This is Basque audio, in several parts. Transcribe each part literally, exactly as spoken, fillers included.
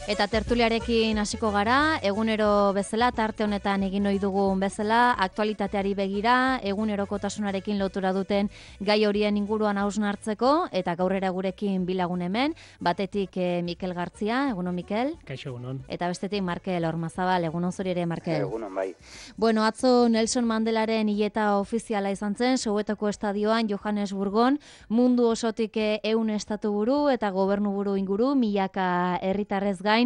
Eta tertuliarekin hasiko gara, egunero bezala, tarte honetan egin ohi dugun bezala, aktualitateari begira, egunerokotasunarekin lotura duten gai horien inguruan hausnartzeko, eta gaurrera gurekin bilagun hemen, batetik eh, Mikel Gartzia, egunon Mikel. Kaixo, egunon. Eta bestetik Markel Ormazabal, egunon zuri ere Markel. Egunon bai. Bueno, atzo Nelson Mandelaren hileta ofiziala izan zen, Soweto estadioan Johannesburgon, mundu osotik ehun estatuburu eta gobernuburu inguru, milaka herritarrez gain,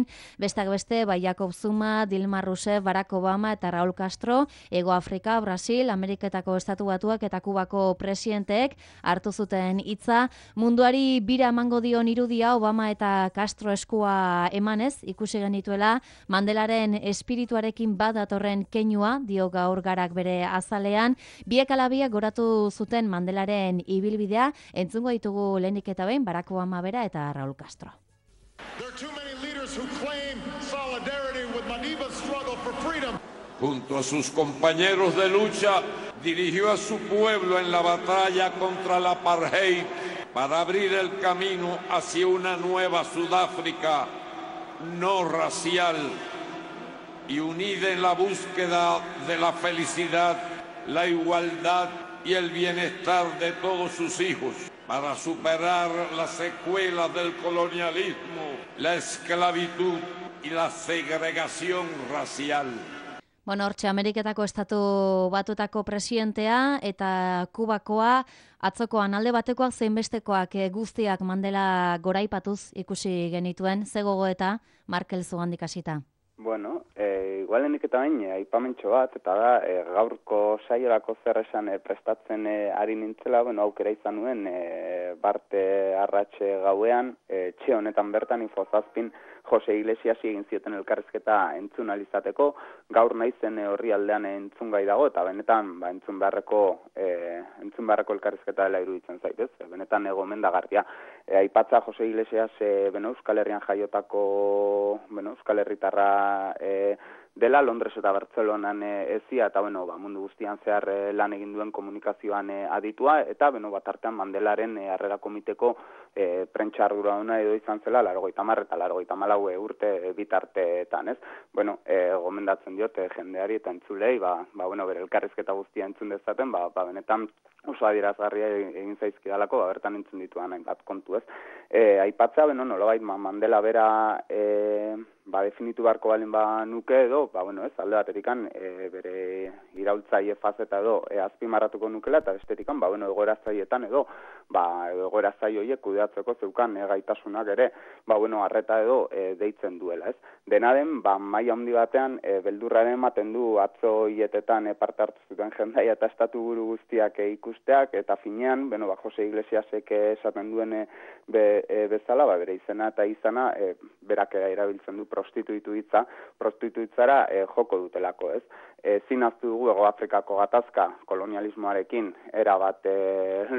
besteak beste, bai Jacob Zuma, Dilma Rousseff, Barack Obama eta Raul Castro, Ego Afrika, Brasil, Ameriketako Estatu Batuak eta Kubako presidenteek hartu zuten hitza. Munduari bira emango dion irudia Obama eta Castro eskua emanez, ikusi genituela, Mandelaren espirituarekin bat datorren keinua, dio gaur Garak bere azalean, biek alabiak goratu zuten Mandelaren ibilbidea, entzungo ditugu lehenik eta behin, Barack Obama bera eta Raul Castro. There are too many leaders who claim solidarity with Madiba's struggle for freedom. Junto a sus compañeros de lucha, dirigió a su pueblo en la batalla contra la apartheid para abrir el camino hacia una nueva Sudáfrica no racial y unida en la búsqueda de la felicidad, la igualdad y el bienestar de todos sus hijos, para superar las secuelas del colonialismo, la esclavitud y la segregación racial. Bueno, hortxe, Ameriketako Estatu Batutako presidentea eta Kubakoa, atzokoan alde batekoak zein bestekoak guztiak Mandela goraipatuz ikusi genituen, ze gogoeta Markel zugandik hasita. Bueno, e, igualenik eta bain, aipamentxo bat, eta da, e, gaurko saiorako zer esan e, prestatzen e, ari nintzela, bueno, aukera izan nuen, e, Barte Arratxe gauean, e, txe honetan bertan infozazpin Jose Iglesiasi egin zioten elkarrizketa entzun alizateko, gaur naizen e, horri aldean entzun gai dago, eta benetan ba, entzun beharreko e, entzun beharreko elkarrizketa dela iruditzen zaitez, e, benetan egomendagarria. E, aipatza Jose Iglesias e, beno, Euskal Herrian jaiotako beno, Euskal Herritarra e, dela, Londres eta Bartzelonan e, ezia, eta bueno, ba, mundu guztian zehar e, lan egin duen komunikazioan e, aditua, eta beno, bat artean Mandelaren e, harrera komiteko e, prentsa arduraduna edo izan zela, laurogeita hamar eta laurogeita hamalau urte e, bitarteetan, ez? Bueno, e, gomendatzen diot e, jendeari eta entzulei, ba, ba, bueno, bere elkarrizketa guztia entzun dezaten, ba, ba benetan oso adierazgarria egin zaizkidalako, ba, bertan entzun dituan hainbat kontu, ez? E, aipatza, beno, nolabait, Mandela bera e, ba, definitu beharko balin ba nuke edo, ba, bueno, ez, alde baterikan e, bere iraultzaile fazeta edo e, azpimarratuko nukela, eta bestetikan, ba, bueno, egoera zaietan edo, ba, egoera zaio horiek kudeatzeko zeukan e, gaitasunak ere, ba, bueno, arreta edo e, deitzen duela, ez? Dena den, ba, maila handi batean, e, beldurraren ematen du atzo hietetan e, parte hartu zuten jendaia eta estatu buru guztiak e, ikusteak, eta finean, bueno, ba, Jose Iglesiasek esaten duen e, be, e, bezala, ba, bere izena eta izana, e, berak erabiltzen du prostituitu hitza, prostituitzara e, joko dutelako, ez? E, zinaztu dugu Ego Afrikako gatazka kolonialismoarekin erabat e,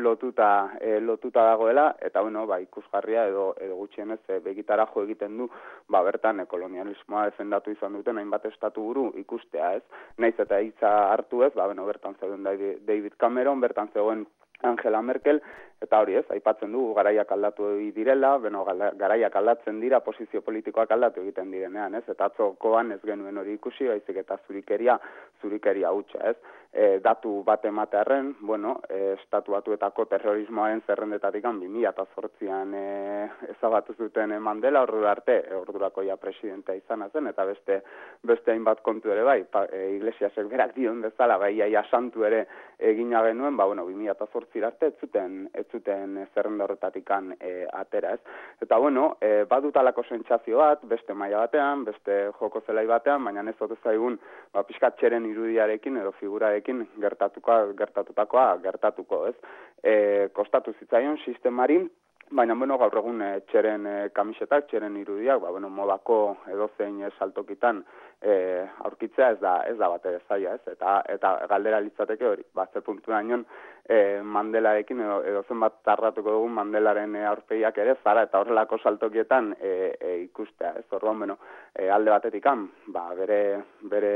lotuta, e, lotuta dagoela, eta bueno, ba, ikusgarria edo, edo gutxienez e, begitara jo egiten du, ba, bertan e, kolonialismoa defendatu izan duten hainbat estatu buru ikustea, ez? Naiz eta hitza hartu ez, ba, bueno, bertan zegoen David Cameron, bertan zegoen Angela Merkel, eta hori ez, aipatzen dugu garaiak aldatu direla, beno, garaiak aldatzen dira, posizio politikoak aldatu egiten direnean, ez, eta atzokoan ez genuen hori ikusi, baizik eta zurikeria, zurikeria hutsa, ez. E, datu bat ematearren, bueno, e, estatu batuetako terrorismoaren zerrendetatik bi mila zortzian e, ezabatu zuten Mandela, ordura arte, e, ordurako ja presidentea izan zen, eta beste beste hainbat kontu ere bai, pa, e, Iglesiasek berak dion bezala, bai, ja santu ere egina genuen, ba, bueno, bi mila zortzi arte ez zuten, ez zuten zerrenda horretatikan e, atera, ez. Eta, bueno, e, badutalako sentsazio bat, beste maila batean, beste joko zelai batean, baina ez ote zaigun, ba, pixkat txeren irudiarekin edo figurarekin gertatuko, gertatutakoa gertatuko, ez. E, kostatu zitzaion sistemarin, baina, bueno, gaur egun e, txeren e, kamisetak, txeren irudiak, ba, bueno, modako edozein e, saltokitan e, aurkitzea ez da, ez da bat ere zaila, ez, eta, eta galdera litzateke hori, ba, ze puntu dañon e, Mandelarekin edo, edo zenbat tarratuko dugun Mandelaren e, aurpegiak ere zara eta horrelako saltokietan e, e, ikustea, ez, orduan, bueno, e, alde batetikan, ba, bere, bere,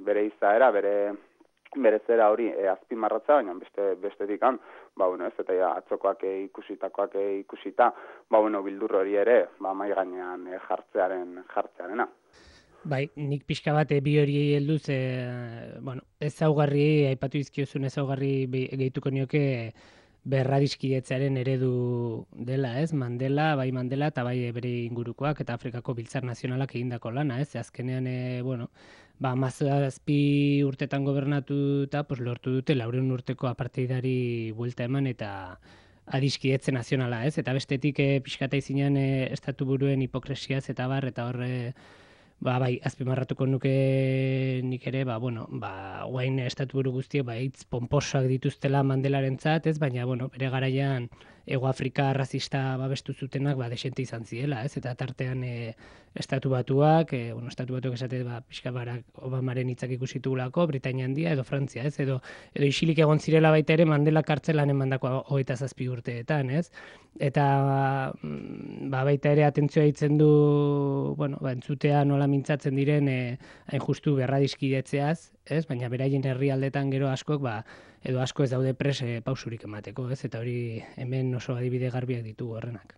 bere izaera, bere berezera hori e, azpimarratza, baina beste bestetik kan, ba bueno, ez eta ja, atzokoak e, ikusitakoak e, ikusita, ba bueno, bildur hori ere, ba mai gainean e, jartzearen jartzearena. Bai, nik pixka bat bi hori helduz, e, bueno, ezaugarri aipatu dizkiozun ezaugarri gehituko nioke berradiskidetzearen eredu dela, ez? Mandela, bai Mandela eta bai bere ingurukoak eta Afrikako Biltzar Nazionalak egindako lana, ez? Azkenean, e, bueno, ba, hamazazpi urtetan gobernatuta, pues, lortu dute laurehun urteko apartheidari buelta eman eta adiskidetze nazionala, ez? Eta bestetik e, pixkata izinean e, estatu buruen hipokresiaz eta bar, eta horre, ba, bai, azpimarratuko nuke nik ere, ba, bueno, ba, guain estatu buru guztiek, ba, hitz pomposoak dituztela Mandelarentzat, ez? Baina, bueno, bere garaian Ego Afrika arrazista babestu zutenak, ba, desente izan ziela, ez? Eta tartean e, estatu batuak, e, bueno, estatu batuak esate, ba, pixka Barack Obamaren hitzak ikusitugulako, Britainia Handia edo Frantzia, ez? Edo, edo isilik egon zirela baita ere Mandela kartzelan emandako hogeita zazpi urteetan, ez? Eta, ba, baita ere atentzioa ditzen du, bueno, ba, entzutea nola mintzatzen diren e, hain justu berradiskidetzeaz, ez? Baina beraien herrialdetan gero askok, ba, edo asko ez daude pres e, pausurik emateko, ez? Eta hori hemen oso adibide garbiak ditugu horrenak.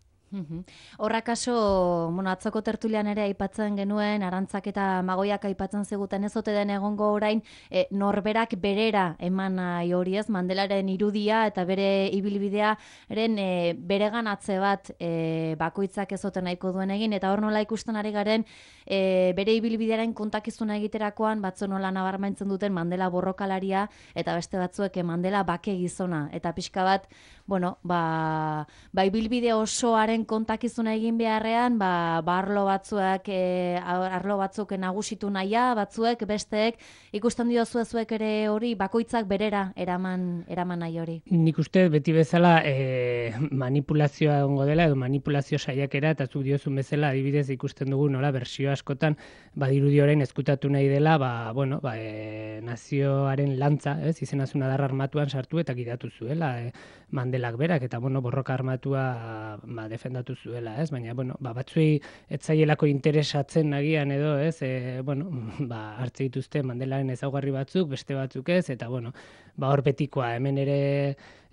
Horra kaso, bueno, atzoko tertulian ere aipatzen genuen, Arantzak eta Magoiak aipatzen ziguten ez ote den egongo orain, e, norberak berera eman nahi hori, ez? Mandelaren irudia eta bere ibilbidearen e, bereganatze bat e, bakoitzak ez ote nahiko duen egin, eta hor nola ikusten ari garen e, bere ibilbidearen kontakizuna egiterakoan batzu nola nabarmentzen duten Mandela borrokalaria eta beste batzuek Mandela bake gizona, eta pixka bat, bueno, ba, ba ibilbide osoaren kontakizuna egin beharrean, ba, ba arlo batzuek, e, arlo batzuk nagusitu nahia, batzuek, besteek, ikusten diozu zuek ere hori, bakoitzak berera eraman, eraman nahi hori. Nik uste beti bezala e, manipulazioa egongo dela, edo manipulazio saiakera, eta zuk diozun bezala adibidez ikusten dugu nola bersio askotan badirudi orain ezkutatu nahi dela, ba, bueno, ba, e, nazioaren lantza, ez, izenazun adar armatuan sartu eta gidatu zuela, e, Mandelak berak, eta bueno, borroka armatua ba, defendatu zuela, ez? Baina, bueno, ba, batzuei etzaielako interesatzen nagian edo, ez? E, bueno, ba, hartze dituzte Mandelaren ezaugarri batzuk, beste batzuk ez, eta bueno, ba, hor betikoa, hemen ere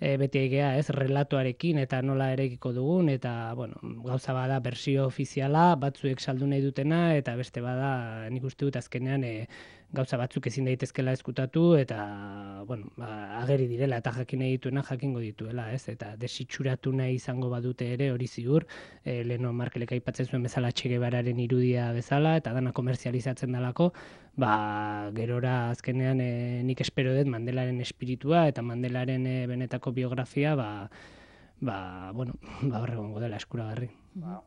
e, beti egea, ez? Relatoarekin eta nola erekiko dugun, eta, bueno, gauza bada bersio ofiziala, batzuek saldu nahi dutena, eta beste bada, nik uste dut azkenean, e, gauza batzuk ezin daitezkela eskutatu, eta, bueno, ba, ageri direla, eta jakin nahi dituena jakingo dituela, ez? Eta desitxuratu nahi izango badute ere, hori ziur, e, leheno Markelek aipatzen zuen bezala Che Guevararen irudia bezala, eta dana komerzializatzen dalako, ba, gerora azkenean e, nik espero dut Mandelaren espiritua, eta Mandelaren e, benetako biografia, ba, ba, bueno, ba, horregongo dela eskuragarri. Ba,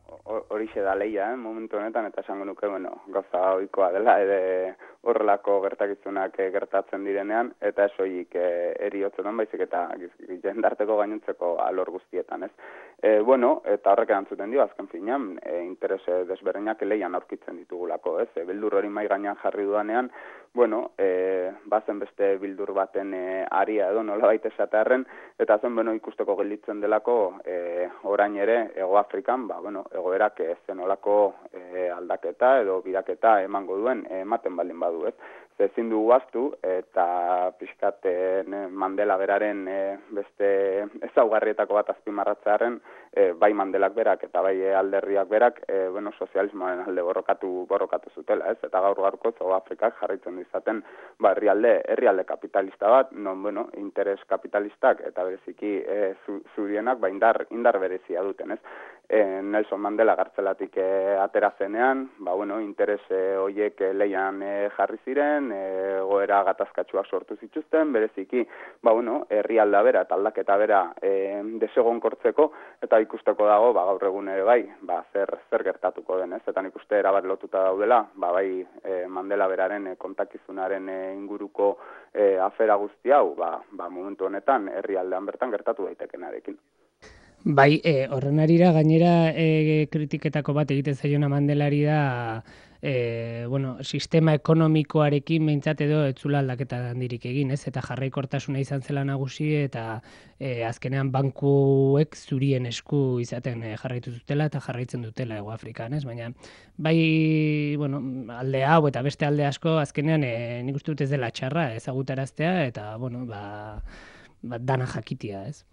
horixe da lehia, eh, momentu honetan, eta esango nuke, bueno, gauza ohikoa dela, ere horrelako gertakizunak e, gertatzen direnean, eta ez horiek e, eriotzetan baizik eta jendarteko gainontzeko alor guztietan, ez? E, bueno, eta horrek erantzuten dio, azken finean, e, interes desberdinak leian aurkitzen ditugulako, ez? E, bildur hori mai gainean jarri dudanean, bueno, e, bazen beste bildur baten e, aria edo nola baita esatearren, eta zen, bueno, ikusteko gelditzen delako e, orain ere, Ego Afrikan, ba, bueno, egoerak e, zenolako e, aldaketa edo bidaketa emango duen e, ematen baldin badu, ez? Ezin dugu aztu, eta pixkaten Mandela beraren e, beste ezaugarrietako bat azpimarratzearen, e, bai Mandelak berak eta bai alderriak berak, e, bueno, sozialismoaren alde borrokatu, borrokatu zutela, ez? Eta gaur gaurko South Afrikak jarraitzen izaten, ba, herrialde, herrialde kapitalista bat, non, bueno, interes kapitalistak eta bereziki e, zu, zurienak, ba, indar, indar berezia duten, ez? E, Nelson Mandela gartzelatik e, atera zenean, ba, bueno, interes e, hoiek e, leian e, jarri ziren, e, goera gatazkatsuak sortu zituzten, bereziki, ba, bueno, herrialda bera eta aldaketa bera e, desegonkortzeko, eta ikusteko dago, ba, gaur egun ere bai, ba, zer, zer gertatuko den, ez? Eta nik uste erabat lotuta daudela, ba, bai e, Mandela beraren e, kontakizunaren e, inguruko e, afera guzti hau, ba, ba, momentu honetan herrialdean bertan gertatu daitekenarekin. Bai, e, horren arira gainera e, kritiketako bat egiten zaiona Mandelari da e, bueno, sistema ekonomikoarekin behintzat edo etzula aldaketa handirik egin, ez? Eta jarraikortasuna izan zela nagusi eta e, azkenean bankuek zurien esku izaten e, jarraitu zutela eta jarraitzen dutela Hego Afrikan, ez? Baina bai, bueno, alde hau eta beste alde asko azkenean e, nik uste dut ez dela txarra ezagutaraztea eta, bueno, ba, ba dana jakitia, ez?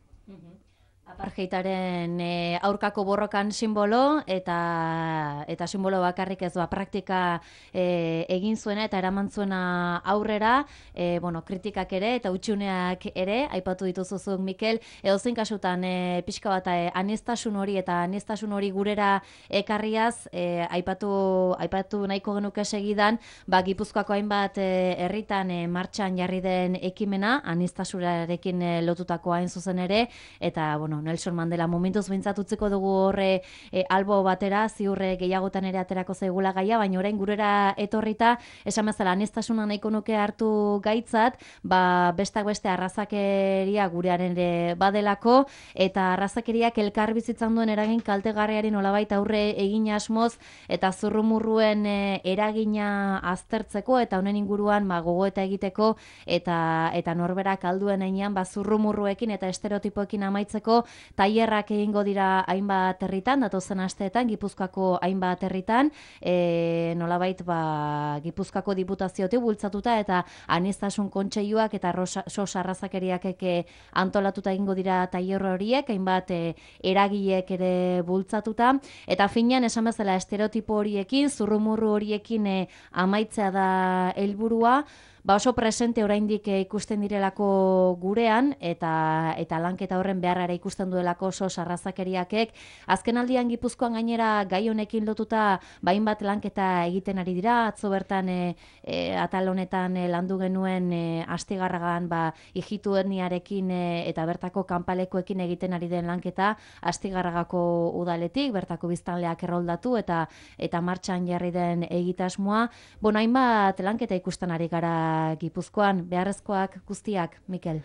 Apartheidaren e, aurkako borrokan simbolo eta eta simbolo bakarrik ez ba praktika e, egin zuena eta eraman zuena aurrera, e, bueno, kritikak ere eta utxuneak ere aipatu dituzuzuk Mikel, edozein kasutan e, pixka bat e, aniztasun hori eta aniztasun hori gurera ekarriaz e, aipatu aipatu nahiko genuke segidan, ba Gipuzkoako hainbat herritan e, e, martxan jarri den ekimena aniztasunarekin e, lotutako hain zuzen ere eta bueno, Nelson Mandela momentuz behintzat utziko dugu horre e, albo batera, ziurre gehiagotan ere aterako zaigula gaia, baina orain gurera etorrita, esan bezala aniztasuna nahiko nuke hartu gaitzat, ba bestak beste arrazakeria gurearen ere badelako, eta arrazakeriak elkar bizitzan duen eragin kaltegarriari nolabait aurre egin asmoz, eta zurrumurruen e, eragina aztertzeko, eta honen inguruan ba, gogoeta egiteko, eta eta norberak alduen heinean ba, zurrumurruekin eta estereotipoekin amaitzeko, tailerrak egingo dira hainbat herritan, datozen asteetan Gipuzkoako hainbat herritan, e, nolabait ba Gipuzkoako diputaziotik bultzatuta eta aniztasun kontseiluak eta sos arrazakeriak eke antolatuta egingo dira tailer horiek, hainbat e, eragileek ere bultzatuta eta finean esan bezala estereotipo horiekin, zurrumurru horiekin e, amaitzea da helburua. Ba oso presente oraindik ikusten direlako gurean eta eta lanketa horren beharrara ikusten duelako sos arrazakeriakek. Azkenaldian Gipuzkoan gainera gai honekin lotuta bainbat lanketa egiten ari dira. Atzo bertan e, e, atal honetan e, landu genuen e, Astigarragan ba ijitu etniarekin e, eta bertako kanpalekoekin egiten ari den lanketa Astigarragako udaletik, bertako biztanleak erroldatu eta eta martxan jarri den egitasmoa. Bueno, hainbat lanketa ikusten ari gara Gipuzkoan, beharrezkoak guztiak, Mikel?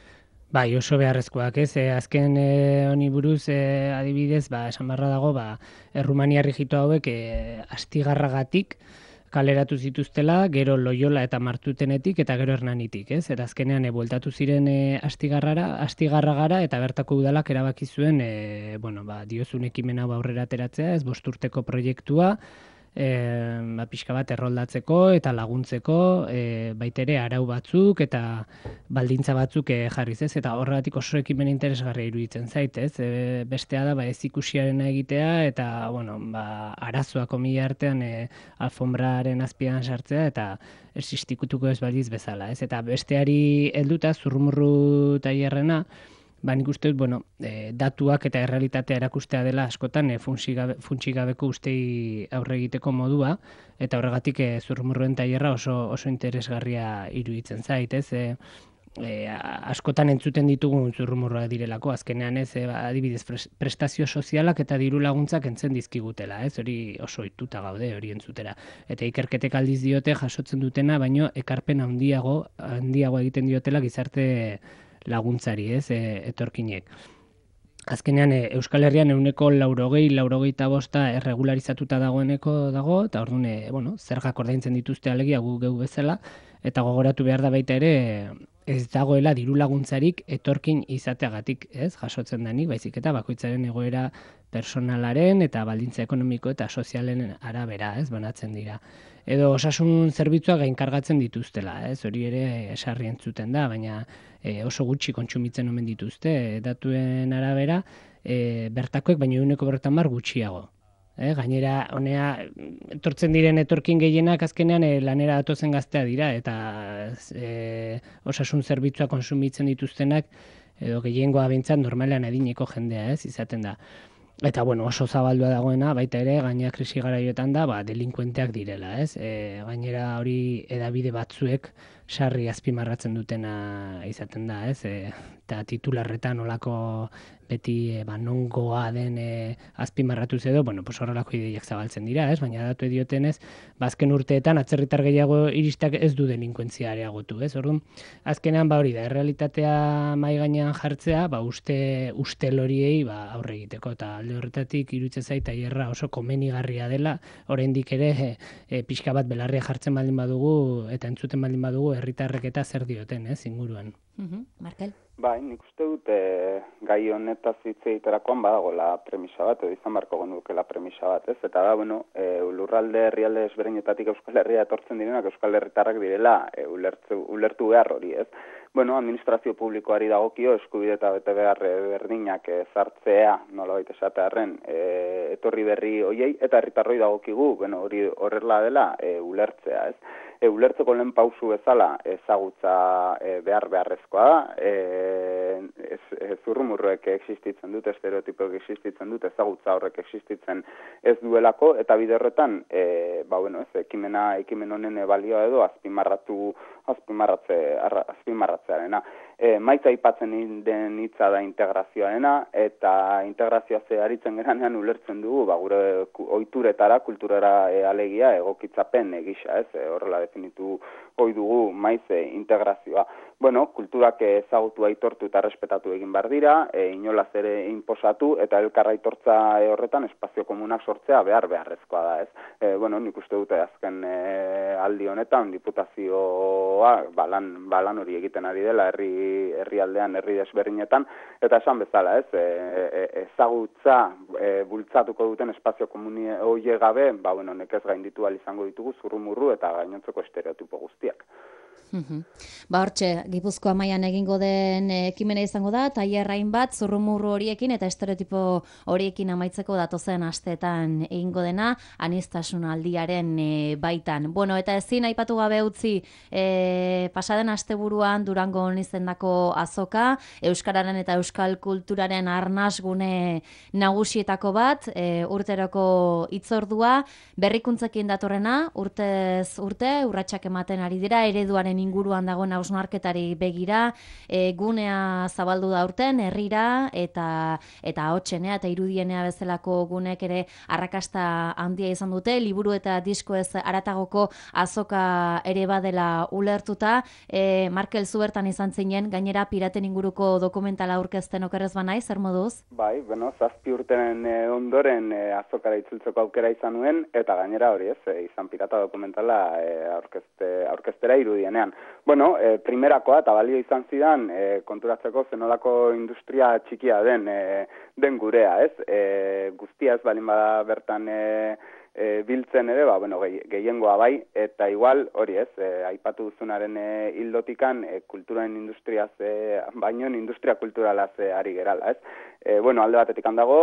Bai, oso beharrezkoak, ez? E, azken e, honi buruz, e, adibidez, ba, esan barra dago, ba, Errumania rigitu hauek e, Astigarragatik kaleratu zituztela, gero Loyola eta Martutenetik eta gero Hernanitik, ez? Eta azkenean e, bueltatu ziren e, Astigarrara, Astigarragara eta bertako udalak erabaki zuen, e, bueno, ba, diozun ekimen hau aurrera ateratzea, ez? Bost urteko proiektua, E, ba, pixka bat erroldatzeko eta laguntzeko e, baitere arau batzuk eta baldintza batzuk e, jarriz ez, eta horregatik oso ekimen interesgarria iruditzen zaitez. E, bestea da ba, ez ikusiarena egitea eta bueno, ba, arazoak omila artean e, alfombraren azpian sartzea eta existikutuko ez baliz bezala. Ez? Eta besteari helduta zurrumurru tailerrena, ba, nik uste dut, bueno, e, datuak eta errealitatea erakustea dela askotan e, funtsigabeko ustei aurre egiteko modua, eta horregatik e, zurrumurruen tailerra oso, oso interesgarria iruditzen zait, ez? E, e, askotan entzuten ditugun zurrumurroak direlako, azkenean ez, e, adibidez prestazio sozialak eta diru laguntzak entzen dizkigutela, ez? Hori oso ohituta gaude hori entzutera. Eta ikerketek aldiz diote jasotzen dutena, baino ekarpen handiago, handiago egiten diotela gizarte laguntzari, ez, e, etorkinek. Azkenean, e, Euskal Herrian ehuneko laurogei, laurogeita bosta erregularizatuta dagoeneko dago, eta orduan, e, bueno, zergak ordaintzen dituzte alegia gu geu bezala, eta gogoratu behar da baita ere, ez dagoela diru laguntzarik etorkin izateagatik, ez, jasotzen denik, baizik eta bakoitzaren egoera personalaren eta baldintza ekonomiko eta sozialen arabera, ez, banatzen dira. Edo osasun zerbitzuak gainkargatzen dituztela, ez, hori ere esarri entzuten da, baina e, oso gutxi kontsumitzen omen dituzte, e, datuen arabera, e, bertakoek baino ehuneko berrogeita hamar gutxiago. E, gainera, honea, etortzen diren etorkin gehienak azkenean e, lanera datozen gaztea dira, eta e, osasun zerbitzua konsumitzen dituztenak, edo gehiengoa behintzat normalean adineko jendea, ez, izaten da. Eta, bueno, oso zabaldua dagoena, baita ere, gainera krisi garaioetan da, ba, delinkuenteak direla, ez? E, gainera hori edabide batzuek sarri azpimarratzen dutena izaten da, ez? E, eta titularretan olako beti e, ba, nongoa den e, azpimarratuz edo, bueno, pues horrelako ideiak zabaltzen dira, ez? Baina datu ediotenez, bazken urteetan atzerritar gehiago iristak ez du delinkuentzia areagotu, ez? Orduan, azkenean ba hori da, errealitatea mai gainean jartzea, ba uste ustel horiei ba aurre egiteko, eta alde horretatik iruditzen zait tailerra oso komenigarria dela, oraindik ere e, e, pixka bat belarria jartzen baldin badugu eta entzuten baldin badugu herritarrek eta zer dioten, ez, inguruan. Mhm, Markel. Bai, nik uste dut e, gai honetaz hitz egiterakoan badagoela premisa bat, edo izan beharko genukela premisa bat, ez? Eta da, bueno, e, lurralde herrialde ezberdinetatik Euskal Herria etortzen direnak Euskal Herritarrak direla e, ulertu, ulertu behar hori, ez? Bueno, administrazio publikoari dagokio eskubide eta bete behar berdinak ezartzea, nolabait esatearren, e, etorri berri hoiei, eta herritarroi dagokigu, bueno, hori horrela dela e, ulertzea, ez? E, ulertzeko lehen pausu bezala ezagutza e, behar beharrezkoa da, e, ez, ez zurrumurruek existitzen dut, estereotipoek existitzen dut, ezagutza horrek existitzen ez duelako, eta bide horretan, e, ba, bueno, ez, ekimena, ekimen honen balioa edo azpimarratu, azpimarratze, arra, azpimarratzearena. E, maitza aipatzen den hitza da integrazioarena, eta integrazioa ze aritzen geranean ulertzen dugu, ba, gure ohituretara, kulturara e, alegia egokitzapen egisa, ez, e, horrela definitu hoi dugu maize integrazioa. Bueno, kulturak ezagutu aitortu eta respetatu egin behar dira, e, inolaz ere inposatu, eta elkarra aitortza e, horretan espazio komunak sortzea behar beharrezkoa da, ez. E, bueno, nik uste dute azken e, aldi honetan, diputazioa balan, balan hori egiten ari dela herri herrialdean, herri desberdinetan, eta esan bezala, ez, e, e, ezagutza e, bultzatuko duten espazio komuni hoie gabe, ba, bueno, nekez gainditu ahal izango ditugu zurrumurru eta gainontzeko estereotipo guztiak. Mhm. Ba hortxe, Gipuzkoa mailan egingo den ekimena izango da, tailerrain bat zurrumurru horiekin eta estereotipo horiekin amaitzeko datozen asteetan egingo dena, aniztasun aldiaren e, baitan. Bueno, eta ezin aipatu gabe utzi, e, pasaden asteburuan Durangon izendako azoka, euskararen eta euskal kulturaren arnasgune nagusietako bat, e, urteroko hitzordua, berrikuntzekin datorrena, urtez urte, urratsak ematen ari dira, ereduaren inguruan dagoen hausnarketari begira, e, gunea zabaldu da urten, herrira eta eta ahotsenea eta irudienea bezalako gunek ere arrakasta handia izan dute, liburu eta disko ez aratagoko azoka ere badela ulertuta. E, Markel, zu bertan izan zinen, gainera piraten inguruko dokumentala aurkezten okerrez banai, zer moduz? Bai, bueno, zazpi urtenen e, ondoren e, azokara itzultzeko aukera izan nuen, eta gainera hori ez, e, izan pirata dokumentala e, aurkezte, aurkeztera irudienea. Bueno, e, primerakoa eta balio izan zidan e, konturatzeko zenolako industria txikia den e, den gurea, ez? E, guztia ez balin bada bertan e, e, biltzen ere, ba, bueno, gehiengoa bai, eta igual, hori ez, e, aipatu duzunaren e, hildotikan e, kulturaren industriaz, e, baino industria kulturalaz e, ari gerala, ez? E, bueno, alde batetik handago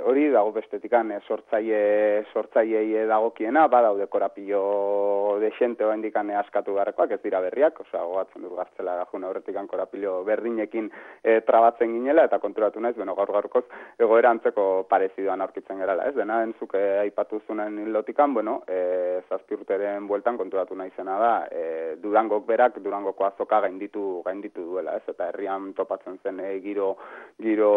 hori, dago bestetikan e, sortzaile, sortzaileei dagokiena, badaude korapilo desente oendikan e, askatu beharrekoak, ez dira berriak, osea, gogatzen dut gartzela gajuna horretikan korapilo berdinekin e, trabatzen ginela, eta konturatu naiz, bueno, gaur gaurkoz egoera antzeko parezidoan aurkitzen gerala, ez? Dena entzuk e, aipatu zunen hilotikan, bueno, e, zazpi urteren bueltan konturatu naizena da, e, Durangok berak, Durangoko azoka gainditu, gainditu duela, ez? Eta herrian topatzen zen e, giro, giro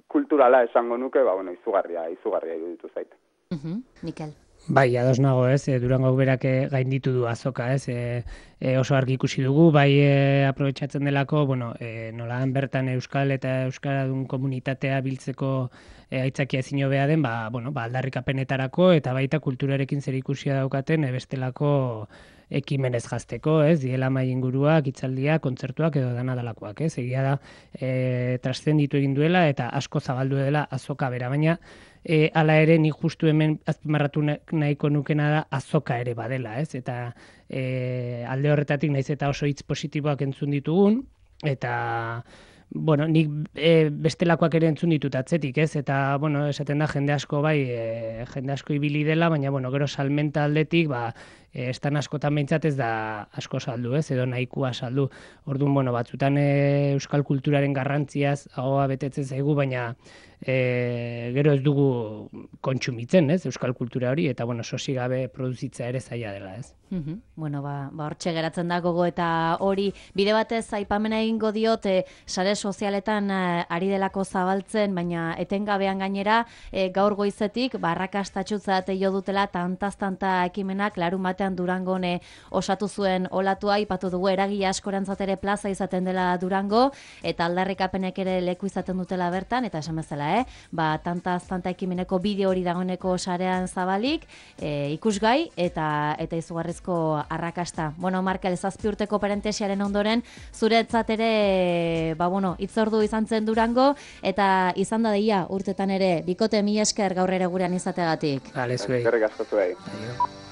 kulturala esango nuke, ba, bueno, izugarria, izugarria iruditu zait. Mhm, Mikel. Bai, ados nago, ez, e, Durangok berak gainditu du azoka, ez, e, e, oso argi ikusi dugu, bai e, aprobetxatzen delako, bueno, e, nolaan bertan euskal eta euskaradun komunitatea biltzeko e, aitzakia ezin hobea den, ba, bueno, ba, aldarrikapenetarako eta baita kulturarekin zer ikusia daukaten e, bestelako ekimenez jazteko, ez, diela mai inguruak, hitzaldiak, kontzertuak edo dana dalakoak, ez, egia da e, traszenditu egin duela eta asko zabaldu dela azoka bera, baina E, ala ere nik justu hemen azpimarratu nahiko nukena da azoka ere badela, ez? Eta e, alde horretatik naiz eta oso hitz positiboak entzun ditugun, eta bueno, nik e, bestelakoak ere entzun ditut atzetik, ez? Eta, bueno, esaten da jende asko bai, e, jende asko ibili dela, baina, bueno, gero salmenta aldetik, ba, e, estan askotan behintzat ez da asko saldu, ez, edo nahikoa saldu. Orduan, bueno, batzutan e, euskal kulturaren garrantziaz ahoa betetzen zaigu, baina e, gero ez dugu kontsumitzen, ez, euskal kultura hori, eta, bueno, sosi gabe produzitza ere zaila dela, ez. Mm-hmm. Bueno, ba, ba hortxe geratzen da gogo eta hori bide batez aipamena egingo diot e, sare sozialetan e, ari delako zabaltzen, baina etengabean gainera e, gaur goizetik barrakastatxutzat jo dutela tantaz-tanta ekimenak larun batean Durangon e, osatu zuen olatua, aipatu dugu eragile askorantzat ere plaza izaten dela Durango, eta aldarrikapenek ere leku izaten dutela bertan, eta esan bezala, eh? Ba, tantaz-tanta ekimeneko bideo hori dagoeneko sarean zabalik, e, ikusgai, eta eta izugarrizko arrakasta. Bueno, Markel, zazpi urteko parentesiaren ondoren, zuretzat ere, ba, bueno, itzordu izan zen Durango, eta izan da deia urtetan ere, bikote mila esker gaur ere gurean izategatik. Vale, zuei. Eskerrik asko zuei.